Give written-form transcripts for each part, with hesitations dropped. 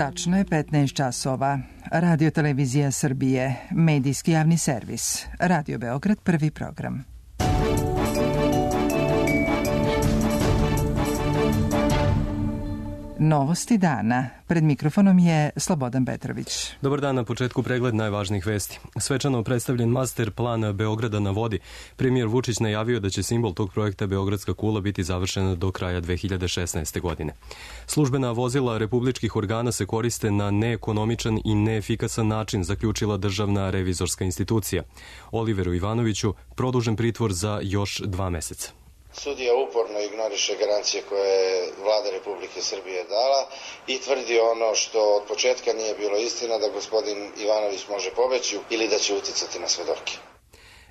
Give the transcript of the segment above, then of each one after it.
Tačno je 15 časova. Radio Televizija Srbije, medijski javni servis. Radio Beograd, prvi program. Novosti dana. Pred mikrofonom je Slobodan Petrović. Dobar dan, na početku pregled najvažnijih vesti. Svečano predstavljen master plan Beograda na vodi. Premijer Vučić najavio da će simbol tog projekta Beogradska kula biti završena do kraja 2016. godine. Službena vozila republičkih organa se koriste na neekonomičan i neefikasan način, zaključila Državna revizorska institucija. Oliveru Ivanoviću produžen pritvor za još 2 meseca. Sudija uporno ignoriše garancije koje je Vlada Republike Srbije dala i tvrdi ono što od početka nije bilo istina, da gospodin Ivanović može pobeći ili da će uticati na svedoke.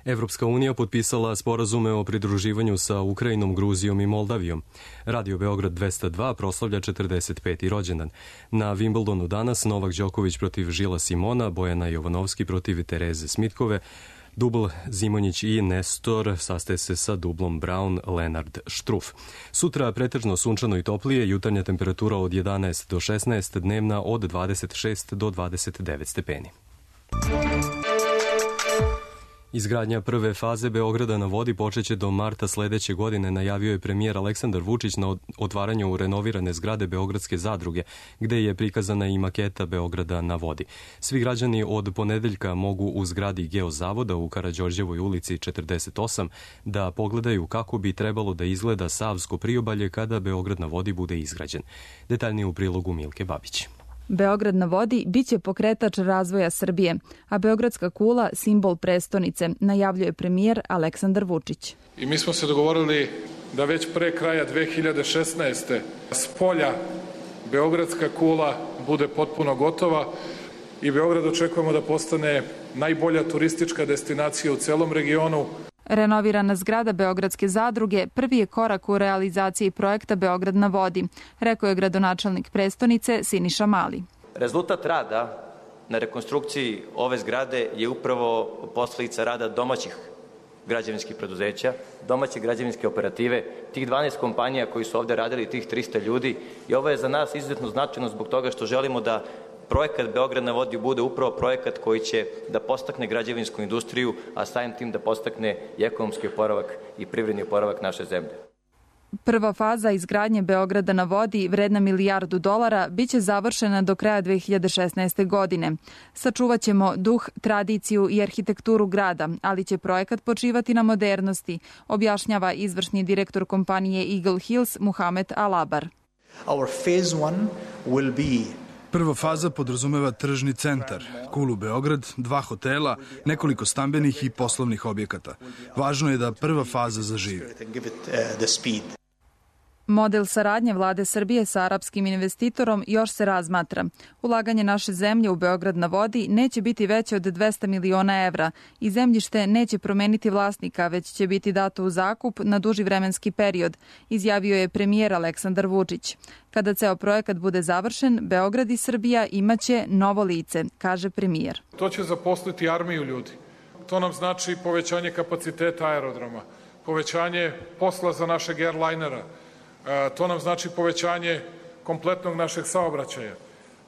Evropska unija potpisala sporazume o pridruživanju sa Ukrajinom, Gruzijom i Moldavijom. Radio Beograd 202 proslavlja 45. rođendan. Na Wimbledonu danas Novak Đoković protiv Žila Simona, Bojana Jovanovski protiv Tereze Smitkove, dubl Zimonjić i Nestor sastaje se sa dublom Brown Lenard Struff. Sutra pretežno sunčano i toplije, jutarnja temperatura od 11 do 16, dnevna od 26 do 29 stepeni. Izgradnja prve faze Beograda na vodi počeće do marta sledeće godine, najavio je premijer Aleksandar Vučić na otvaranju renovirane zgrade Beogradske zadruge, gde je prikazana i maketa Beograda na vodi. Svi građani od ponedeljka mogu u zgradi Geozavoda u Karađorđevoj ulici 48 da pogledaju kako bi trebalo da izgleda Savsko priobalje kada Beograd na vodi bude izgrađen. Detaljnije u prilogu Milke Babić. Beograd na vodi biće pokretač razvoja Srbije, a Beogradska kula simbol prestonice, najavljuje premijer Aleksandar Vučić. I mi smo se dogovorili da već pre kraja 2016. s polja Beogradska kula bude potpuno gotova i Beograd očekujemo da postane najbolja turistička destinacija u celom regionu. Renovirana zgrada Beogradske zadruge prvi je korak u realizaciji projekta Beograd na vodi, rekao je gradonačelnik prestonice Siniša Mali. Rezultat rada na rekonstrukciji ove zgrade je upravo posledica rada domaćih građevinskih preduzeća, domaće građevinske operative, tih 12 kompanija koji su ovde radili, tih 300 ljudi, i ovo je za nas izuzetno značajno zbog toga što želimo da projekat Beograd na vodi bude upravo projekat koji će da podstakne građevinsku industriju, a samim tim da podstakne i ekonomski oporavak i privredni oporavak naše zemlje. Prva faza izgradnje Beograda na vodi, vredna $1 milijardu, biće završena do kraja 2016. godine. Sačuvaćemo duh, tradiciju i arhitekturu grada, ali će projekat počivati na modernosti, objašnjava izvršni direktor kompanije Eagle Hills Muhamed Alabar. Our phase 1 will be Prva faza podrazumeva tržni centar, kulu Beograd, 2 hotela, nekoliko stambenih i poslovnih objekata. Važno je da prva faza zaživi. Model saradnje vlade Srbije sa arapskim investitorom još se razmatra. Ulaganje naše zemlje u Beograd na vodi neće biti veće od 200 miliona evra i zemljište neće promeniti vlasnika, već će biti dato u zakup na duži vremenski period, izjavio je premijer Aleksandar Vučić. Kada ceo projekat bude završen, Beograd i Srbija imaće novo lice, kaže premijer. To će zaposliti armiju ljudi. To nam znači povećanje kapaciteta aerodroma, povećanje posla za našeg airlinera. To nam znači povećanje kompletnog našeg saobraćaja.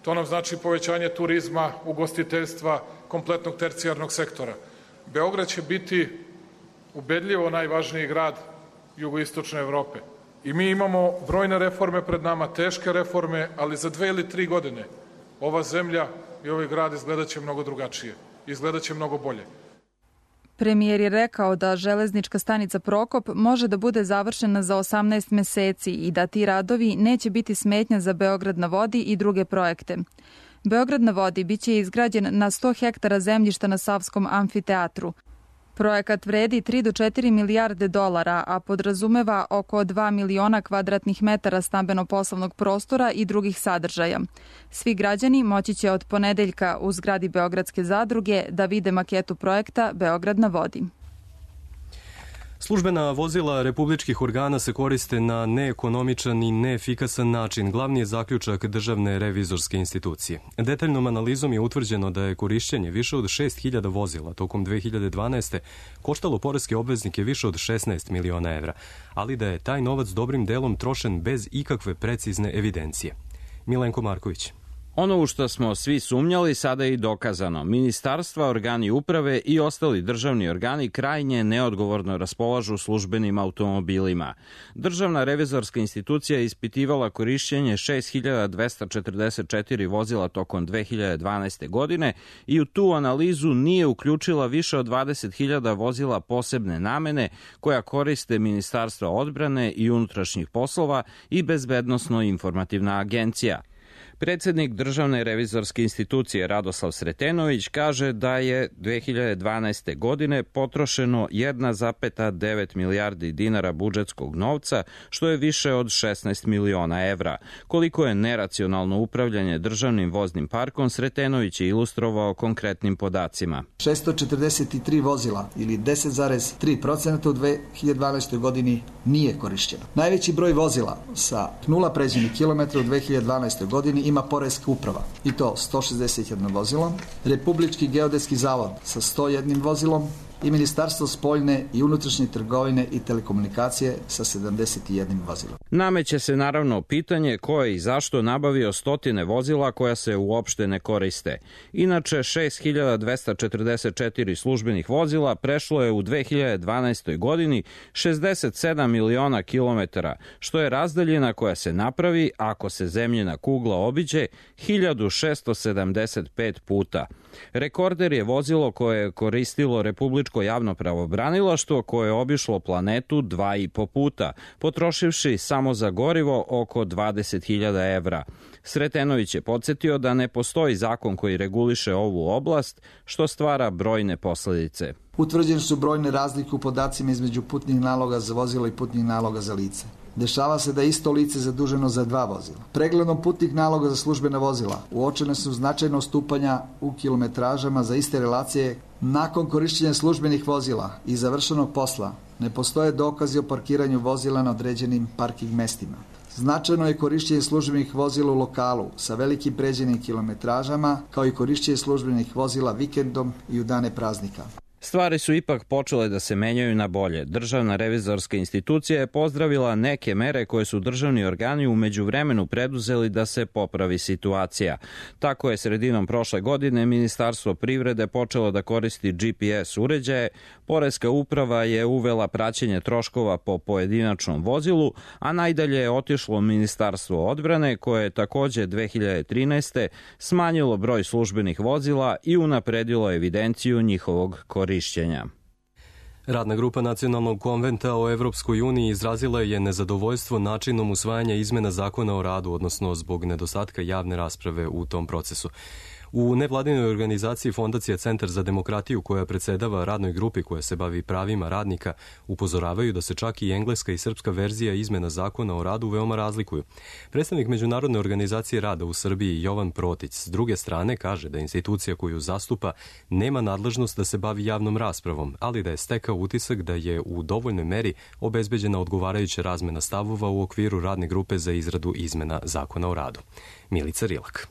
To nam znači povećanje turizma, ugostiteljstva, kompletnog tercijarnog sektora. Beograd će biti ubedljivo najvažniji grad jugoistočne Evrope. I mi imamo brojne reforme pred nama, teške reforme, ali za 2 ili 3 godine ova zemlja i ovaj grad izgledaće mnogo drugačije, izgledaće mnogo bolje. Premijer je rekao da železnička stanica Prokop može da bude završena za 18 meseci i da ti radovi neće biti smetnja za Beograd na vodi i druge projekte. Beograd na vodi biće izgrađen na 100 hektara zemljišta na Savskom amfiteatru. Projekat vredi 3 do 4 milijarde dolara, a podrazumeva oko 2 miliona kvadratnih metara stambeno-poslovnog prostora i drugih sadržaja. Svi građani moći će od ponedeljka u zgradi Beogradske zadruge da vide maketu projekta Beograd na vodi. Službena vozila republičkih organa se koriste na neekonomičan i neefikasan način. Glavni je zaključak Državne revizorske institucije. Detaljnom analizom je utvrđeno da je korišćenje više od 6.000 vozila tokom 2012. koštalo poreske obveznike više od 16 miliona evra, ali da je taj novac dobrim delom trošen bez ikakve precizne evidencije. Milenko Marković. Ono u što smo svi sumnjali sada je i dokazano. Ministarstva, organi uprave i ostali državni organi krajnje neodgovorno raspolažu službenim automobilima. Državna revizorska institucija je ispitivala korišćenje 6244 vozila tokom 2012. godine i u tu analizu nije uključila više od 20.000 vozila posebne namene koja koriste Ministarstva odbrane i unutrašnjih poslova i Bezbednosno-informativna agencija. Predsednik Državne revizorske institucije Radoslav Sretenović kaže da je 2012. godine potrošeno 1,9 milijardi dinara budžetskog novca, što je više od 16 miliona evra. Koliko je neracionalno upravljanje državnim voznim parkom, Sretenović je ilustrovao konkretnim podacima. 643 vozila ili 10,3% u 2012. godini nije korišćeno. Najveći broj vozila sa 0 pređenih kilometra u 2012. godini ima Poreska uprava, i to 161 vozilo, Republički geodetski zavod sa 101 vozilom i Ministarstvo spoljne i unutrašnje trgovine i telekomunikacije sa 71 vozilom. Nameće se naravno pitanje ko je i zašto nabavio stotine vozila koja se uopšte ne koriste. Inače, 6244 službenih vozila prešlo je u 2012. godini 67 miliona kilometara, što je razdaljina koja se napravi ako se zemljina kugla obiđe 1675 puta. Rekorder je vozilo koje je koristilo Republičko javno pravobranilaštvo koje je obišlo planetu 2,5 puta, potrošivši samo za gorivo oko 20.000 evra. Sretenović je podsjetio da ne postoji zakon koji reguliše ovu oblast, što stvara brojne posledice. Utvrđene su brojne razlike u podacima između putnih naloga za vozilo i putnih naloga za lice. Dešava se da je isto lice zaduženo za 2 vozila. Pregledom putnih naloga za službena vozila uočene su značajna odstupanja u kilometražama za iste relacije. Nakon korišćenja službenih vozila i završenog posla ne postoje dokazi o parkiranju vozila na određenim parking mestima. Značajno je korišćenje službenih vozila u lokalu sa velikim pređenim kilometražama, kao i korišćenje službenih vozila vikendom i u dane praznika. Stvari su ipak počele da se menjaju na bolje. Državna revizorska institucija je pozdravila neke mere koje su državni organi u međuvremenu preduzeli da se popravi situacija. Tako je sredinom prošle godine Ministarstvo privrede počelo da koristi GPS uređaje, Poreska uprava je uvela praćenje troškova po pojedinačnom vozilu, a najdalje je otišlo Ministarstvo odbrane koje je takođe 2013. smanjilo broj službenih vozila i unapredilo evidenciju njihovog korišćenja. Radna grupa Nacionalnog konventa o Evropskoj uniji izrazila je nezadovoljstvo načinom usvajanja izmena zakona o radu, odnosno zbog nedostatka javne rasprave u tom procesu. U nevladinoj organizaciji Fondacija Centar za demokratiju, koja predsedava radnoj grupi koja se bavi pravima radnika, upozoravaju da se čak i engleska i srpska verzija izmena zakona o radu veoma razlikuju. Predstavnik Međunarodne organizacije rada u Srbiji Jovan Protić s druge strane kaže da institucija koju zastupa nema nadležnost da se bavi javnom raspravom, ali da je stekao utisak da je u dovoljnoj meri obezbeđena odgovarajuća razmena stavova u okviru radne grupe za izradu izmena zakona o radu. Milica Rilak.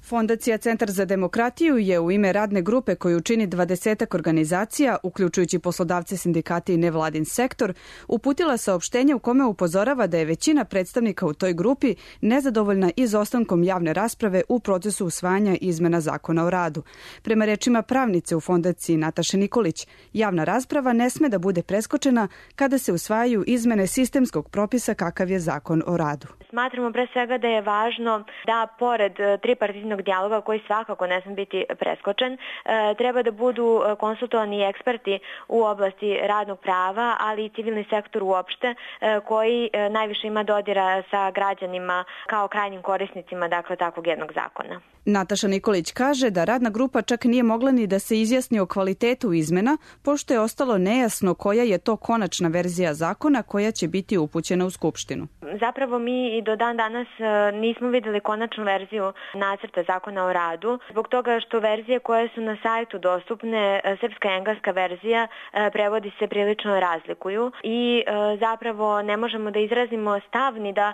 Fondacija Centar za demokratiju je u ime radne grupe koju čini 20 organizacija, uključujući poslodavce, sindikate i nevladin sektor, uputila saopštenje u kome upozorava da je većina predstavnika u toj grupi nezadovoljna izostankom javne rasprave u procesu usvajanja izmena zakona o radu. Prema rečima pravnice u Fondaciji Nataše Nikolić, javna rasprava ne sme da bude preskočena kada se usvajaju izmene sistemskog propisa kakav je zakon o radu. Smatramo pre svega da je važno da pored tripartitnog dijaloga koji svakako ne sme biti preskočen, treba da budu konsultovani eksperti u oblasti radnog prava, ali i civilni sektor uopšte, koji najviše ima dodira sa građanima kao krajnjim korisnicima, dakle, takvog jednog zakona. Nataša Nikolić kaže da radna grupa čak nije mogla ni da se izjasni o kvalitetu izmena, pošto je ostalo nejasno koja je to konačna verzija zakona koja će biti upućena u Skupštinu. Zapravo mi i do dan danas nismo videli konačnu verziju nacrta zakona o radu, zbog toga što verzije koje su na sajtu dostupne, srpska i engleska verzija, prevodi se prilično razlikuju i zapravo ne možemo da izrazimo stav ni da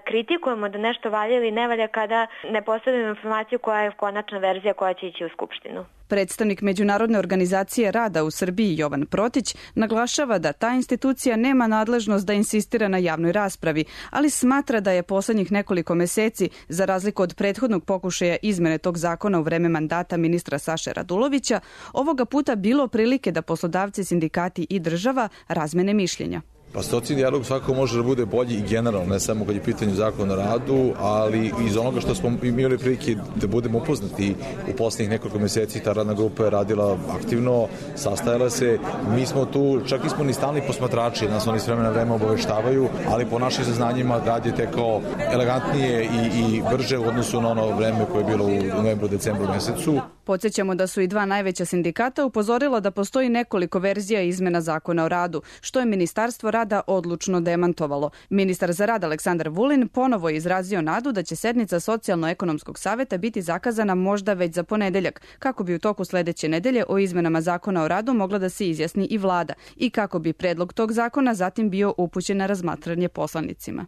kritikujemo da nešto valja ili ne valja kada ne posjedujemo informaciju informaciju koja je konačna verzija koja će ići u Skupštinu. Predstavnik Međunarodne organizacije rada u Srbiji Jovan Protić naglašava da ta institucija nema nadležnost da insistira na javnoj raspravi, ali smatra da je poslednjih nekoliko meseci, za razliku od prethodnog pokušaja izmene tog zakona u vreme mandata ministra Saše Radulovića, ovoga puta bilo prilike da poslodavci, sindikati i država razmene mišljenja. Pa socijalni dijalog svakako može da bude bolji i generalno, ne samo kad je pitanje zakona o radu, ali iz onoga što smo imali prilike da budemo upoznati u poslednjih nekoliko meseci, ta radna grupa je radila aktivno, sastajala se, mi smo tu, čak nismo ni stalni posmatrači, nas oni s vremena vreme obaveštavaju, ali po našim saznanjima rad je tekao elegantnije i brže u odnosu na ono vreme koje je bilo u novembru, decembru mesecu. Podsjećamo da su i dva najveća sindikata upozorila da postoji nekoliko verzija izmena zakona o radu, što je Ministarstvo rada odlučno demantovalo. Ministar za rad Aleksandar Vulin ponovo je izrazio nadu da će sednica Socijalno-ekonomskog saveta biti zakazana možda već za ponedeljak, kako bi u toku sledeće nedelje o izmenama zakona o radu mogla da se izjasni i vlada i kako bi predlog tog zakona zatim bio upućen na razmatranje poslanicima.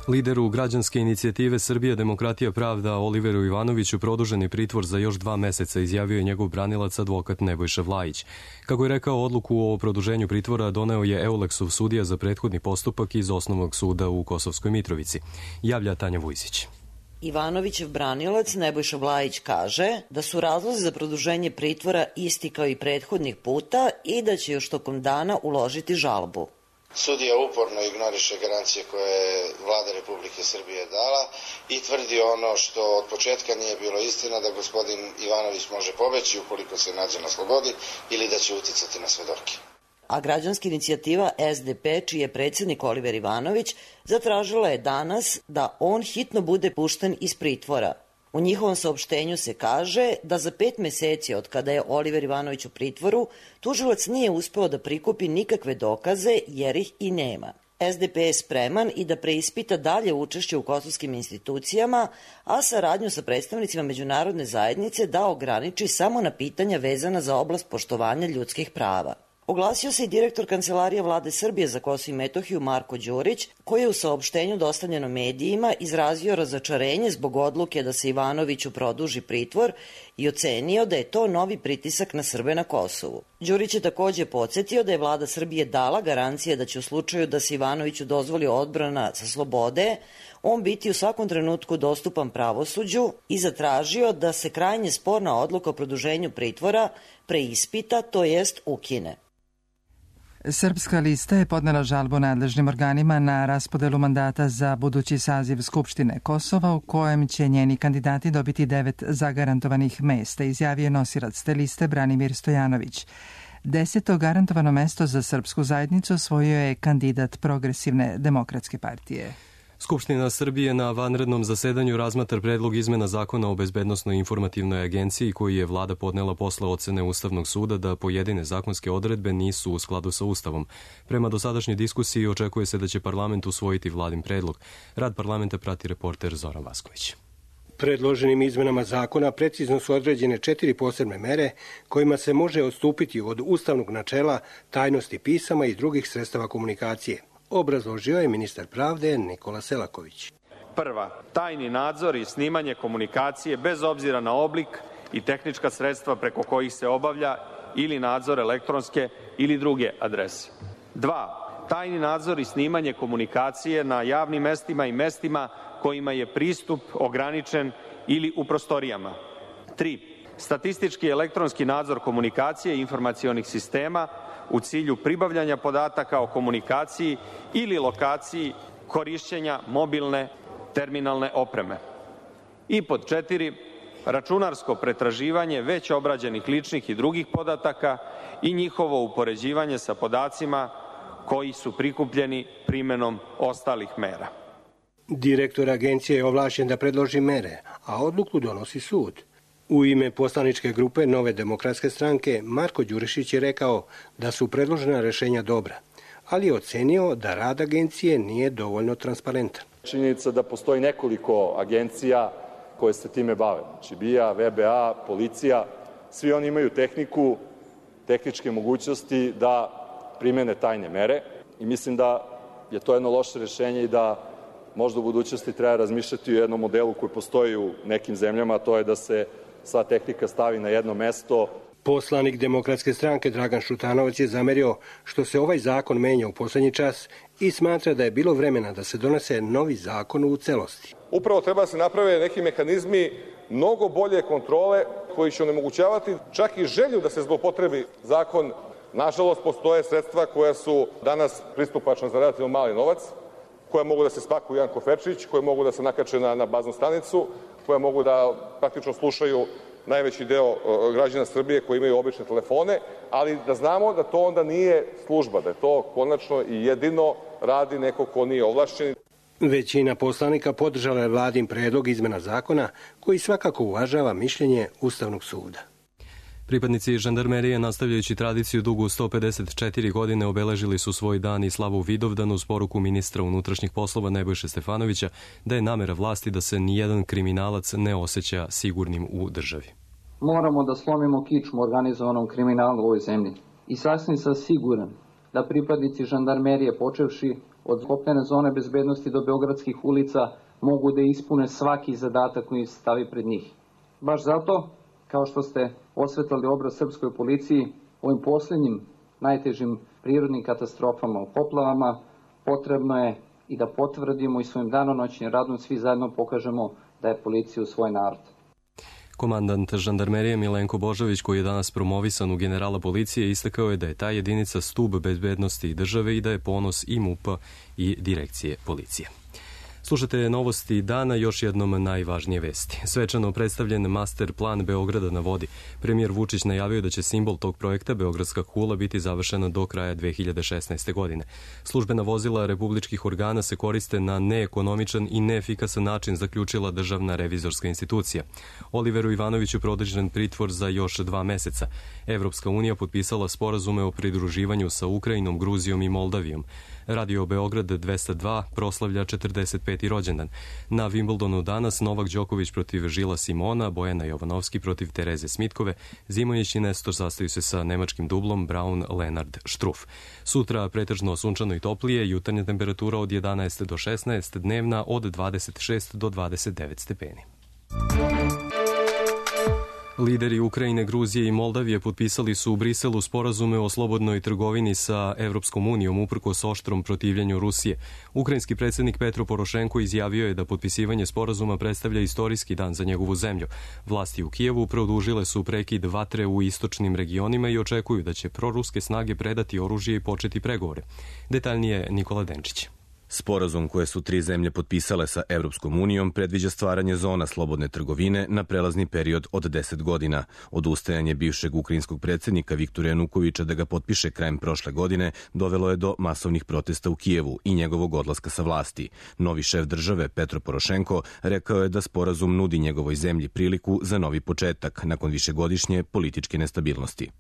Lideru građanske inicijative Srbija, demokratija, pravda Oliveru Ivanoviću produženi pritvor za još 2 meseca, izjavio je njegov branilac advokat Nebojša Vlajić. Kako je rekao, odluku o produženju pritvora doneo je Euleksov sudija za prethodni postupak iz Osnovnog suda u Kosovskoj Mitrovici. Javlja Tanja Vujsić. Ivanovićev branilac Nebojša Vlajić kaže da su razlozi za produženje pritvora isti kao i prethodnih puta i da će još tokom dana uložiti žalbu. Sudija uporno ignoriše garancije koje je vlada Republike Srbije dala i tvrdi ono što od početka nije bilo istina, da gospodin Ivanović može pobeći ukoliko se nađe na slobodi ili da će uticati na svedoke. A građanska inicijativa SDP, čiji je predsjednik Oliver Ivanović, zatražila je danas da on hitno bude pušten iz pritvora. U njihovom saopštenju se kaže da za 5 meseci od kada je Oliver Ivanović u pritvoru, tužilac nije uspeo da prikupi nikakve dokaze jer ih i nema. SDP je spreman i da preispita dalje učešće u kosovskim institucijama, a saradnju sa predstavnicima međunarodne zajednice da ograniči samo na pitanja vezana za oblast poštovanja ljudskih prava. Oglasio se i direktor Kancelarije vlade Srbije za Kosovo i Metohiju Marko Đurić, koji je u saopštenju dostavljeno medijima izrazio razočarenje zbog odluke da se Ivanoviću produži pritvor i ocenio da je to novi pritisak na Srbe na Kosovu. Đurić je takođe podsjetio da je vlada Srbije dala garancije da će u slučaju da se Ivanoviću dozvoli odbrana sa slobode, on biti u svakom trenutku dostupan pravosuđu i zatražio da se krajnje sporna odluka o produženju pritvora preispita, to jest ukine. Srpska lista je podnela žalbu nadležnim organima na raspodelu mandata za budući saziv Skupštine Kosova, u kojem će njeni kandidati dobiti 9 zagarantovanih mesta, izjavio nosilac te liste Branimir Stojanović. 10. garantovano mesto za srpsku zajednicu osvojio je kandidat Progresivne demokratske partije. Skupština Srbije na vanrednom zasedanju razmatra predlog izmena zakona o bezbednosnoj informativnoj agenciji koji je vlada podnela posle ocene Ustavnog suda da pojedine zakonske odredbe nisu u skladu sa Ustavom. Prema dosadašnjoj diskusiji očekuje se da će parlament usvojiti vladin predlog. Rad parlamenta prati reporter Zoran Vasković. Predloženim izmenama zakona precizno su određene 4 posebne mere kojima se može odstupiti od ustavnog načela tajnosti pisama i drugih sredstava komunikacije. Obrazložio je ministar pravde Nikola Selaković. Prva, tajni nadzor i snimanje komunikacije bez obzira na oblik i tehnička sredstva preko kojih se obavlja ili nadzor elektronske ili druge adrese. 2. Tajni nadzor i snimanje komunikacije na javnim mestima i mestima kojima je pristup ograničen ili u prostorijama. 3. Statistički elektronski nadzor komunikacije i informacionih sistema u cilju pribavljanja podataka o komunikaciji ili lokaciji korišćenja mobilne terminalne opreme. I pod 4, računarsko pretraživanje već obrađenih ličnih i drugih podataka i njihovo upoređivanje sa podacima koji su prikupljeni primenom ostalih mera. Direktor agencije je ovlašćen da predloži mere, a odluku donosi sud. U ime poslaničke grupe Nove demokratske stranke Marko Đurišić je rekao da su predložena rešenja dobra, ali je ocenio da rad agencije nije dovoljno transparentan. Činjenica da postoji nekoliko agencija koje se time bave, znači BIA, VBA, policija, svi oni imaju tehniku, tehničke mogućnosti da primene tajne mere i mislim da je to jedno loše rešenje i da možda u budućnosti treba razmišljati o jednom modelu koji postoji u nekim zemljama, a to je da se sva tehnika stavi na jedno mesto. Poslanik Demokratske stranke Dragan Šutanovac je zamerio što se ovaj zakon menja u poslednji čas i smatra da je bilo vremena da se donese novi zakon u celosti. Upravo treba da se naprave neki mehanizmi mnogo bolje kontrole koji će onemogućavati čak i želju da se zloupotrebi zakon. Nažalost, postoje sredstva koja su danas pristupačna za relativno mali novac, koja mogu da se spakuju u jedan koferčić, koje mogu da se nakače na baznu stanicu, koje mogu da praktično slušaju najveći deo građana Srbije koji imaju obične telefone, ali da znamo da to onda nije služba, da je to konačno i jedino radi neko ko nije ovlašćen. Većina poslanika podržala je vladin predlog izmena zakona koji svakako uvažava mišljenje Ustavnog suda. Pripadnici žandarmerije, nastavljajući tradiciju dugu 154 godine, obeležili su svoj dan i slavu Vidovdan uz poruku ministra unutrašnjih poslova Nebojše Stefanovića da je namera vlasti da se nijedan kriminalac ne osjeća sigurnim u državi. Moramo da slomimo kičmu organizovanom kriminalu u ovoj zemlji. I sasvim sam siguran da pripadnici žandarmerije, počevši od kopnene zone bezbednosti do beogradskih ulica, mogu da ispune svaki zadatak koji se stavi pred njih. Baš zato, kao što ste osvetlali obraz srpskoj policiji, ovim posljednjim najtežim prirodnim katastrofama u poplavama, potrebno je i da potvrdimo i svojim danonoćnim radom svi zajedno pokažemo da je policija u svoj narod. Komandant žandarmerije Milenko Božović, koji je danas promovisan u generala policije, istakao je da je ta jedinica stub bezbednosti države i da je ponos i MUP-a i direkcije policije. Slušate novosti dana, još jednom najvažnije vesti. Svečano predstavljen master plan Beograda na vodi. Premijer Vučić najavio da će simbol tog projekta, Beogradska kula, biti završena do kraja 2016. godine. Službena vozila republičkih organa se koriste na neekonomičan i neefikasan način, zaključila Državna revizorska institucija. Oliveru Ivanoviću produžen pritvor za još 2 meseca. Evropska unija potpisala sporazume o pridruživanju sa Ukrajinom, Gruzijom i Moldavijom. Radio Beograd 202 proslavlja 45. rođendan. Na Wimbledonu danas Novak Đoković protiv Žila Simona, Bojana Jovanovski protiv Tereze Smitkove, Zimović i Nestor sastaju se sa nemačkim dublom Braun-Lenard Struff. Sutra pretežno sunčano i toplije, jutarnja temperatura od 11 do 16, dnevna od 26 do 29 stepeni. Lideri Ukrajine, Gruzije i Moldavije potpisali su u Briselu sporazume o slobodnoj trgovini sa Evropskom unijom uprkos oštrom protivljenju Rusije. Ukrajinski predsjednik Petro Porošenko izjavio je da potpisivanje sporazuma predstavlja istorijski dan za njegovu zemlju. Vlasti u Kijevu produžile su prekid vatre u istočnim regionima i očekuju da će proruske snage predati oružje i početi pregovore. Detaljnije Nikola Denčić. Sporazum koje su 3 zemlje potpisale sa Evropskom unijom predviđa stvaranje zona slobodne trgovine na prelazni period od 10 godina. Odustajanje bivšeg ukrajinskog predsjednika Viktora Janukovića da ga potpiše krajem prošle godine dovelo je do masovnih protesta u Kijevu i njegovog odlaska sa vlasti. Novi šef države Petro Porošenko rekao je da sporazum nudi njegovoj zemlji priliku za novi početak nakon višegodišnje političke nestabilnosti.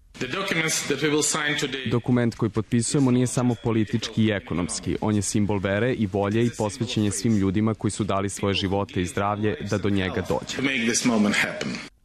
Dokument koji potpisujemo nije samo politički i ekonomski, on je simbol vere i volje i posvećenje svim ljudima koji su dali svoje živote i zdravlje da do njega dođe.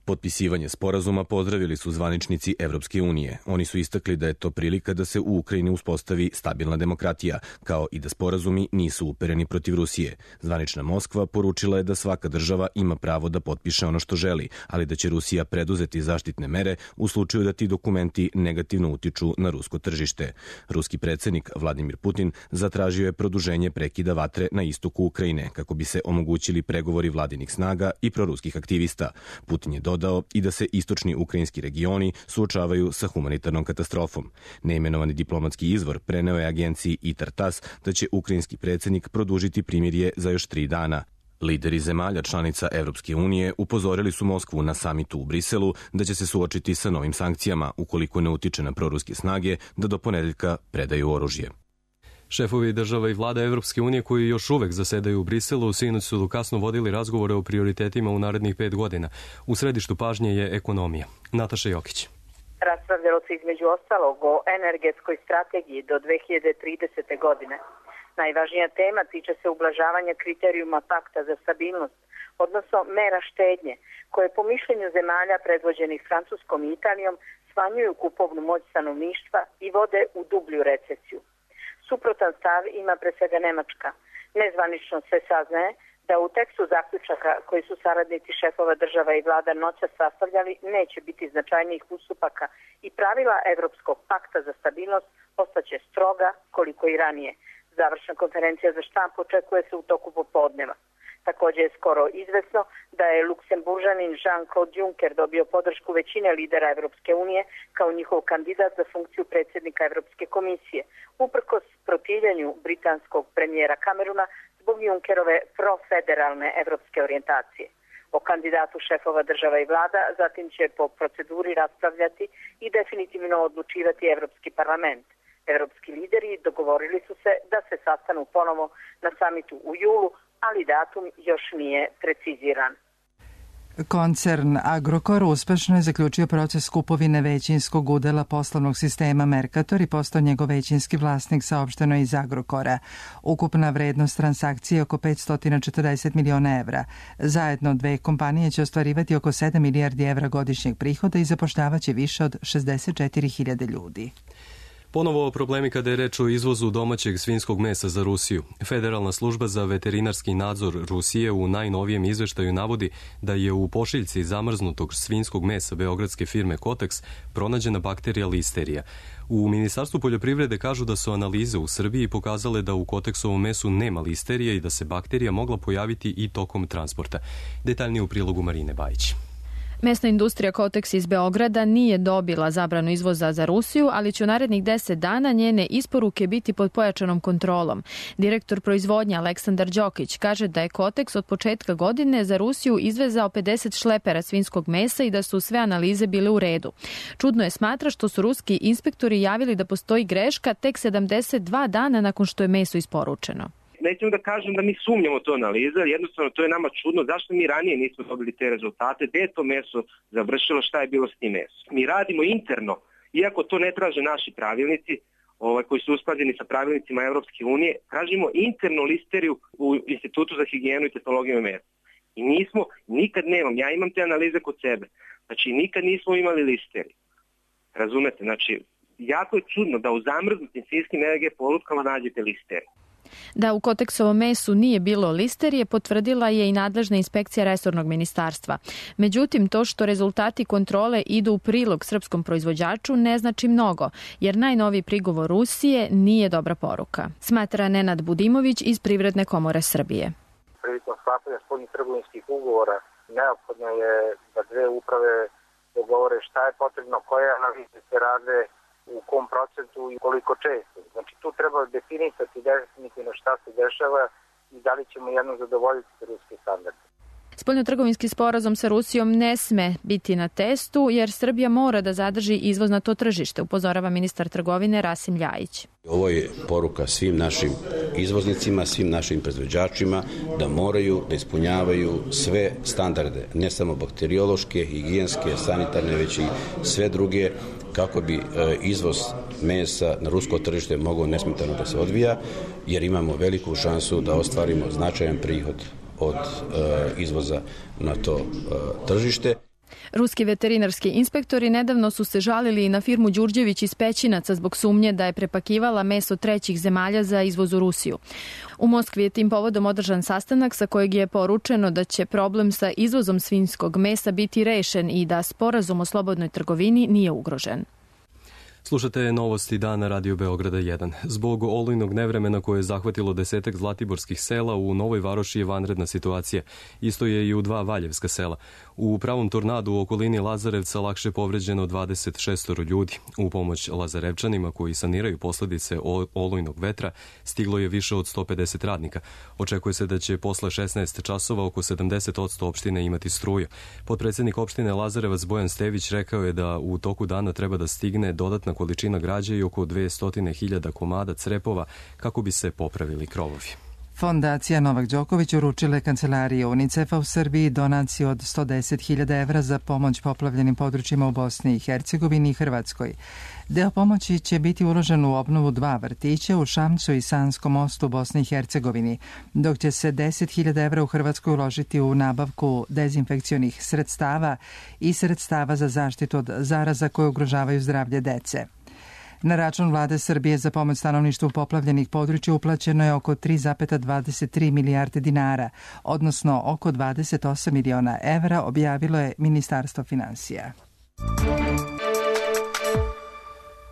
Potpisivanje sporazuma pozdravili su zvaničnici Evropske unije. Oni su istakli da je to prilika da se u Ukrajini uspostavi stabilna demokratija, kao i da sporazumi nisu upereni protiv Rusije. Zvanična Moskva poručila je da svaka država ima pravo da potpiše ono što želi, ali da će Rusija preduzeti zaštitne mere u slučaju da ti dokumenti negativno utiču na rusko tržište. Ruski predsjednik Vladimir Putin zatražio je produženje prekida vatre na istoku Ukrajine kako bi se omogućili pregovori vladinih snaga i proruskih aktivista. Putin je dodao i da se istočni ukrajinski regioni suočavaju sa humanitarnom katastrofom. Neimenovani diplomatski izvor preneo je agenciji ITAR-TASS da će ukrajinski predsjednik produžiti primirje za još 3 dana. Lideri zemalja članica Evropske unije upozorili su Moskvu na samitu u Briselu da će se suočiti sa novim sankcijama ukoliko ne utiče na proruske snage da do ponedeljka predaju oružje. Šefovi država i vlada Evropske unije koji još uvek zasedaju u Briselu sinoć su kasno vodili razgovore o prioritetima u narednih 5 godina. U središtu pažnje je ekonomija. Nataša Jokić. Raspravljalo se između ostalog o energetskoj strategiji do 2030. godine. Najvažnija tema tiče se ublažavanja kriterijuma pakta za stabilnost, odnosno mera štednje, koje po mišljenju zemalja predvođenih Francuskom i Italijom smanjuju kupovnu moć stanovništva i vode u dublju recesiju. Suprotan stav ima pre svega Nemačka. Nezvanično se saznaje da u tekstu zaključaka koji su saradnici šefova država i vlada noćas sastavljali neće biti značajnijih ustupaka i pravila Evropskog pakta za stabilnost ostaće stroga koliko i ranije. Završna konferencija za štampu očekuje se u toku popodneva. Također je skoro izvesno da je Luksemburžanin Jean-Claude Juncker dobio podršku većine lidera Evropske unije kao njihov kandidat za funkciju predsjednika Evropske komisije, uprkos protivljenju britanskog premijera Camerona zbog Junckerove profederalne evropske orijentacije. O kandidatu šefova država i vlada zatim će po proceduri raspravljati i definitivno odlučivati Evropski parlament. Evropski lideri dogovorili su se da se sastanu ponovo na samitu u julu, ali datum još nije preciziran. Koncern Agrokor uspešno je zaključio proces kupovine većinskog udela poslovnog sistema Mercator i postao njegov većinski vlasnik, saopšteno iz Agrokora. Ukupna vrednost transakcije je oko 540 miliona evra. Zajedno dve kompanije će ostvarivati oko 7 milijardi evra godišnjeg prihoda i zapošljavaće više od 64.000 ljudi. Ponovo problemi kada je reč o izvozu domaćeg svinjskog mesa za Rusiju. Federalna služba za veterinarski nadzor Rusije u najnovijem izveštaju navodi da je u pošiljci zamrznutog svinjskog mesa beogradske firme Kotex pronađena bakterija listerija. U Ministarstvu poljoprivrede kažu da su analize u Srbiji pokazale da u Kotexovom mesu nema listerije i da se bakterija mogla pojaviti i tokom transporta. Detaljnije u prilogu Marine Bajić. Mesna industrija Kotex iz Beograda nije dobila zabranu izvoza za Rusiju, ali će u narednih 10 dana njene isporuke biti pod pojačanom kontrolom. Direktor proizvodnje Aleksandar Đokić kaže da je Kotex od početka godine za Rusiju izvezao 50 šlepera svinjskog mesa i da su sve analize bile u redu. Čudno je smatra što su ruski inspektori javili da postoji greška tek 72 dana nakon što je meso isporučeno. Nećemo da kažem da mi sumnjamo to analiza, jednostavno to je nama čudno zašto mi ranije nismo dobili te rezultate, gde je to meso završilo, šta je bilo s tim mesom. Mi radimo interno, iako to ne traže naši pravilnici, koji su usklađeni sa pravilnicima Evropske unije, tražimo internu listeriju u Institutu za higijenu i tehnologiju mesa. I nikad nemam, ja imam te analize kod sebe, znači nikad nismo imali listeriju. Razumete, znači jako je čudno da u zamrznutim svinjskim EG polutkama nađete listeriju. Da u Kotexovom mesu nije bilo listerije potvrdila je i nadležna inspekcija resornog ministarstva. Međutim, to što rezultati kontrole idu u prilog srpskom proizvođaču ne znači mnogo, jer najnoviji prigovor Rusije nije dobra poruka, smatra Nenad Budimović iz Privredne komore Srbije. Prilikom sklapanja spoljnih trgovinskih ugovora neophodno je da dve uprave dogovore šta je potrebno, koje analize se rade, u kom procentu i koliko često. Znači tu treba definisati definitivno šta se dešava i da li ćemo jedno zadovoljiti ruske standarde. Spoljnotrgovinski sporazum sa Rusijom ne sme biti na testu jer Srbija mora da zadrži izvoz na to tržište, upozorava ministar trgovine Rasim Ljajić. Ovo je poruka svim našim izvoznicima, svim našim proizvođačima da moraju da ispunjavaju sve standarde, ne samo bakteriološke, higijenske, sanitarne, već i sve druge, kako bi izvoz mesa na rusko tržište mogao nesmetano da se odvija, jer imamo veliku šansu da ostvarimo značajan prihod od izvoza na to tržište. Ruski veterinarski inspektori nedavno su se žalili i na firmu Đurđević iz Pećinaca zbog sumnje da je prepakivala meso trećih zemalja za izvoz u Rusiju. U Moskvi je tim povodom održan sastanak sa kojeg je poručeno da će problem sa izvozom svinjskog mesa biti rešen i da sporazum o slobodnoj trgovini nije ugrožen. Slušate novosti dana Radio Beograda 1. Zbog olujnog nevremena koje je zahvatilo 10 zlatiborskih sela, u Novoj Varoši je vanredna situacija. Isto je i u 2 valjevska sela. U pravom tornadu u okolini Lazarevca lakše povređeno 26 ljudi. U pomoć Lazarevčanima koji saniraju posljedice olujnog vetra stiglo je više od 150 radnika. Očekuje se da će posle 16 časova oko 70% opštine imati struju. Potpredsednik opštine Lazarevac Bojan Stević rekao je da u toku dana treba da stigne dodatna količina građe i oko 200.000 komada crepova kako bi se popravili krovovi. Fondacija Novak Đoković uručila je kancelariji UNICEF-a u Srbiji donaciju od 110.000 evra za pomoć poplavljenim područjima u Bosni i Hercegovini i Hrvatskoj. Deo pomoći će biti uložen u obnovu 2 vrtića u Šamcu i Sanskom mostu u Bosni i Hercegovini, dok će se 10.000 evra u Hrvatskoj uložiti u nabavku dezinfekcionih sredstava i sredstava za zaštitu od zaraza koje ugrožavaju zdravlje dece. Na račun vlade Srbije za pomoć stanovništvu poplavljenih područja uplaćeno je oko 3,23 milijarde dinara, odnosno oko 28 miliona evra, objavilo je Ministarstvo finansija.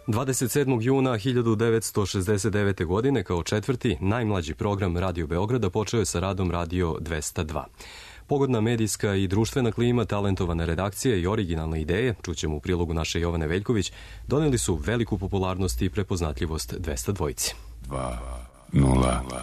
27. juna 1969. godine kao četvrti, najmlađi program Radio Beograda počeo je sa radom Radio 202. Pogodna medijska i društvena klima, talentovana redakcija i originalne ideje, čućemo u prilogu naše Jovane Veljković, doneli su veliku popularnost i prepoznatljivost 202. 202.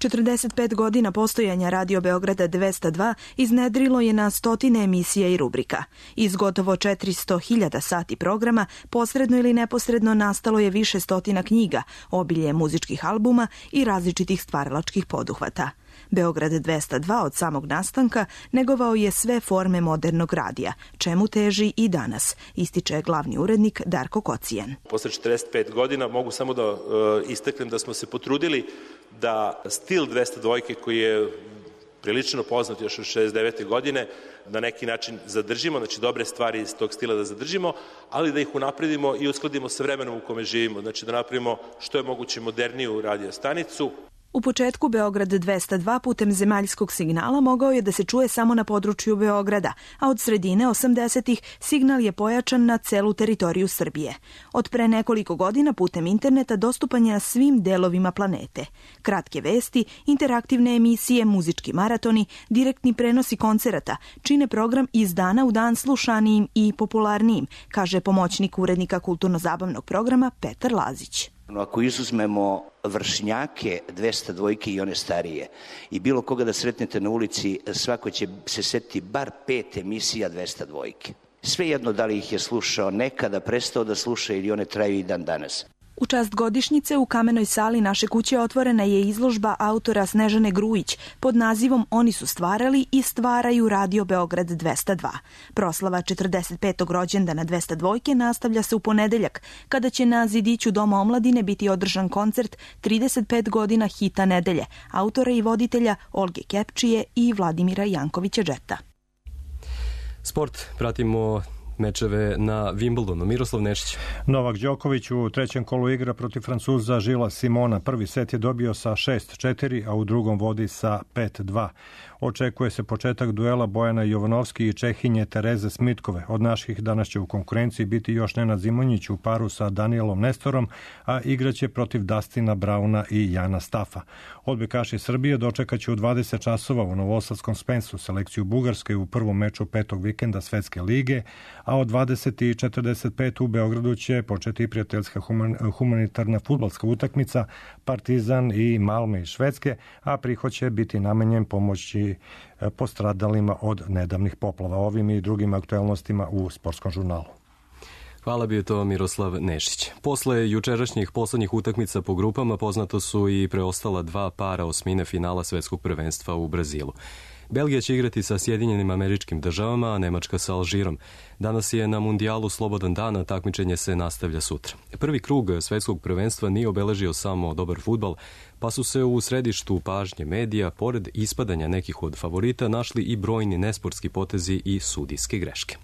45 godina postojanja Radio Beograda 202 iznedrilo je na stotine emisija i rubrika. Iz gotovo 400.000 sati programa, posredno ili neposredno nastalo je više stotina knjiga, obilje muzičkih albuma i različitih stvaralačkih poduhvata. Beograd 202 od samog nastanka negovao je sve forme modernog radija, čemu teži i danas, ističe glavni urednik Darko Kocijan. Posle 45 godina mogu samo da istaknem da smo se potrudili da stil 202 koji je prilično poznat još od 69. godine, na neki način zadržimo, znači dobre stvari iz tog stila da zadržimo, ali da ih unapredimo i uskladimo sa vremenom u kome živimo, znači da napravimo što je moguće moderniju radio stanicu. U početku Beograd 202 putem zemaljskog signala mogao je da se čuje samo na području Beograda, a od sredine 80-ih signal je pojačan na celu teritoriju Srbije. Od pre nekoliko godina putem interneta dostupan je na svim delovima planete. Kratke vesti, interaktivne emisije, muzički maratoni, direktni prenosi koncerata čine program iz dana u dan slušanijim i popularnijim, kaže pomoćnik urednika kulturno-zabavnog programa Petar Lazić. Ako izuzmemo vršnjake 202 i one starije i bilo koga da sretnete na ulici, svako će se setiti bar 5 emisija 202. Svejedno da li ih je slušao nekada, prestao da sluša ili one traju i dan danas. U čast godišnjice u kamenoj sali naše kuće otvorena je izložba autora Snežane Grujić pod nazivom Oni su stvarali i stvaraju Radio Beograd 202. Proslava 45. rođendana 202 nastavlja se u ponedeljak, kada će na zidiću Doma omladine biti održan koncert 35 godina hita nedelje, autora i voditelja Olge Kepčije i Vladimira Jankovića Džeta. Sport, pratimo mečeve na Wimbledonu. Miroslav Nešić. Novak Đoković u trećem kolu igra protiv Francuza Žila Simona. Prvi set je dobio sa 6-4, a u drugom vodi sa 5-2. Očekuje se početak duela Bojana Jovanovski i Čehinje Tereze Smitkove. Od naših danas će u konkurenciji biti još Nenad Zimonjić u paru sa Danielom Nestorom, a igraće protiv Dustina Brauna i Jana Stafa. Odbojkaši Srbije dočekaće u 20 časova u Novosadskom Spensu selekciju Bugarske u prvom meču petog vikenda Svetske lige, a od 20:45 u Beogradu će početi prijateljska humanitarna fudbalska utakmica Partizan i Malme iz Švedske, a prihod će biti namenjen pomoći postradalima od nedavnih poplava. Ovim i drugim aktuelnostima u Sportskom žurnalu. Hvala, bio to Miroslav Nešić. Posle jučerašnjih poslednjih utakmica po grupama poznato su i preostala dva para osmine finala svetskog prvenstva u Brazilu. Belgija će igrati sa Sjedinjenim Američkim Državama, a Nemačka sa Alžirom. Danas je na mundijalu slobodan dan, a takmičenje se nastavlja sutra. Prvi krug svetskog prvenstva nije obeležio samo dobar fudbal, pa su se u središtu pažnje medija, pored ispadanja nekih od favorita, našli i brojni nesportski potezi i sudijske greške.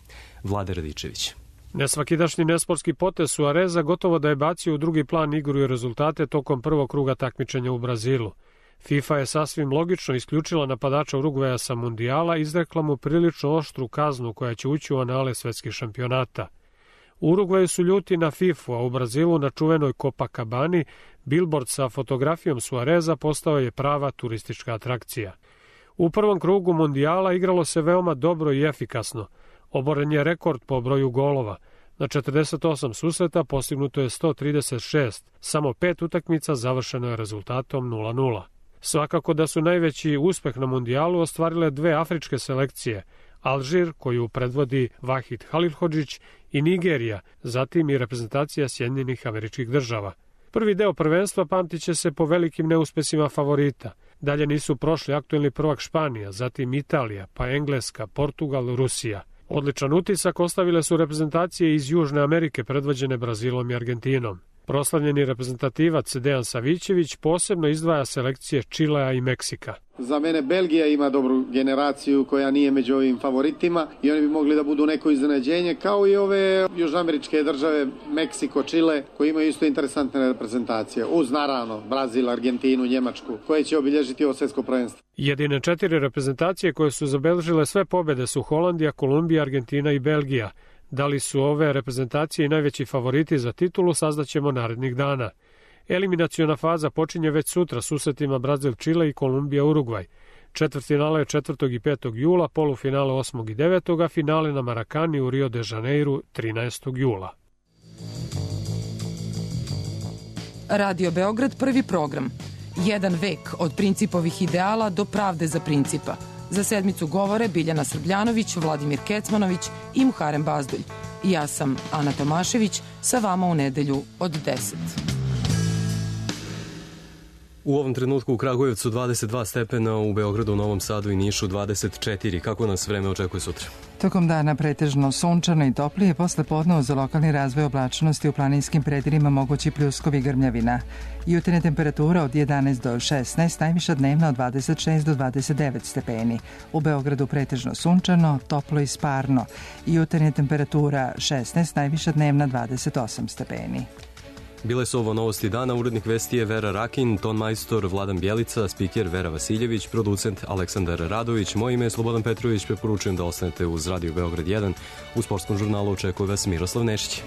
Vlade Radičević. Nesvakidašnji nesportski potez Suareza gotovo da je bacio u drugi plan igru i rezultate tokom prvog kruga takmičenja u Brazilu. FIFA je sasvim logično isključila napadača Urugvaja sa mundijala i izrekla mu prilično oštru kaznu koja će ući u anale svetskih šampionata. U Urugvaju su ljuti na FIFA, a u Brazilu na čuvenoj Copacabani billboard sa fotografijom Suareza postao je prava turistička atrakcija. U prvom krugu mundijala igralo se veoma dobro i efikasno. Oboren je rekord po broju golova. Na 48 susreta postignuto je 136, samo 5 utakmica završeno je rezultatom 0-0. Svakako da su najveći uspeh na mundijalu ostvarile dve afričke selekcije, Alžir, koju predvodi Vahid Halilhodžić, i Nigerija, zatim i reprezentacija Sjedinjenih Američkih Država. Prvi deo prvenstva pamtiće se po velikim neuspesima favorita. Dalje nisu prošli aktuelni prvak Španija, zatim Italija, pa Engleska, Portugal, Rusija. Odličan utisak ostavile su reprezentacije iz Južne Amerike predvođene Brazilom i Argentinom. Proslavljeni reprezentativac Dejan Savićević posebno izdvaja selekcije Čilea i Meksika. Za mene Belgija ima dobru generaciju koja nije među ovim favoritima i oni bi mogli da budu neko iznenađenje, kao i ove južnoameričke države Meksiko, Čile, koji imaju isto interesantne reprezentacije. Uz naravno Brazil, Argentinu, Njemačku, koje će obilježiti ovo svetsko prvenstvo. Jedine 4 reprezentacije koje su zabeležile sve pobede su Holandija, Kolumbija, Argentina i Belgija. Da li su ove reprezentacije i najveći favoriti za titulu, saznaćemo narednih dana. Eliminaciona faza počinje već sutra susretima Brazil, Čile i Kolumbija, Urugvaj. Četvrtfinale je 4. i 5. jula, polufinale 8. i 9. a finale na Marakani u Rio de Janeiru 13. jula. Radio Beograd, prvi program. Jedan vek od principovih ideala do pravde za principa. Za sedmicu govore Biljana Srbljanović, Vladimir Kecmanović i Muharem Bazdulj. Ja sam Ana Tomašević, sa vama u nedelju od 10. U ovom trenutku u Kragujevcu 22 stepena, u Beogradu, Novom Sadu i Nišu 24. Kako nas vreme očekuje sutra? Tokom dana pretežno sunčano i toplije, posle podne za lokalni razvoj oblačnosti u planinskim predelima mogući pljuskovi grmljavina. Jutarnja temperatura od 11 do 16, najviša dnevna od 26 do 29 stepeni. U Beogradu pretežno sunčano, toplo i sparno. Jutarnja temperatura 16, najviša dnevna 28 stepeni. Bile su ovo novosti dana, urednik vesti je Vera Rakin, ton majstor Vladan Bjelica, spiker Vera Vasiljević, producent Aleksandar Radović, moje ime je Slobodan Petrović, preporučujem da ostanete uz Radio Beograd 1. U sportskom žurnalu očekuje vas Miroslav Nešić.